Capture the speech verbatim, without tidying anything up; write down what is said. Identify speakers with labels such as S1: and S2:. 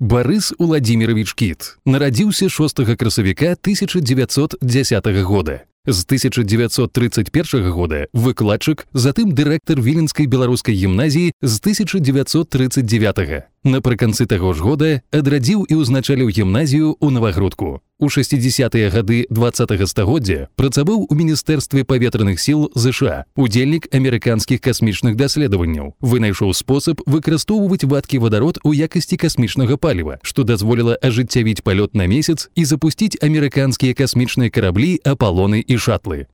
S1: Барыс Уладзіміровіч Кіт нарадзіўся шостага красавіка тысяча девятьсот дзесятага года. З тысяча девятьсот тридцать первого года выкладчык, затым дырэктар Віленскай беларускай гімназіі з тысяча девятьсот тридцать девятого. Напрыканцы таго ж года адрадзіў і ўзначаліў гімназію ў Навагрудку. У шэсцідзесятыя гады двадцатага стагоддзя працаваў у Міністэрстве паветраных сіл ЗША, удзельнік амерыканскіх касмічных даследаванняў, вынайшоў спосаб выкарыстоўваць вадкі вадарод у якасці касмічнага паліва, што дазволіла ажыццявіць палёт на месяц і запусціць амерыканскія касмічныя караблі «Апалоны» і «Шатлы».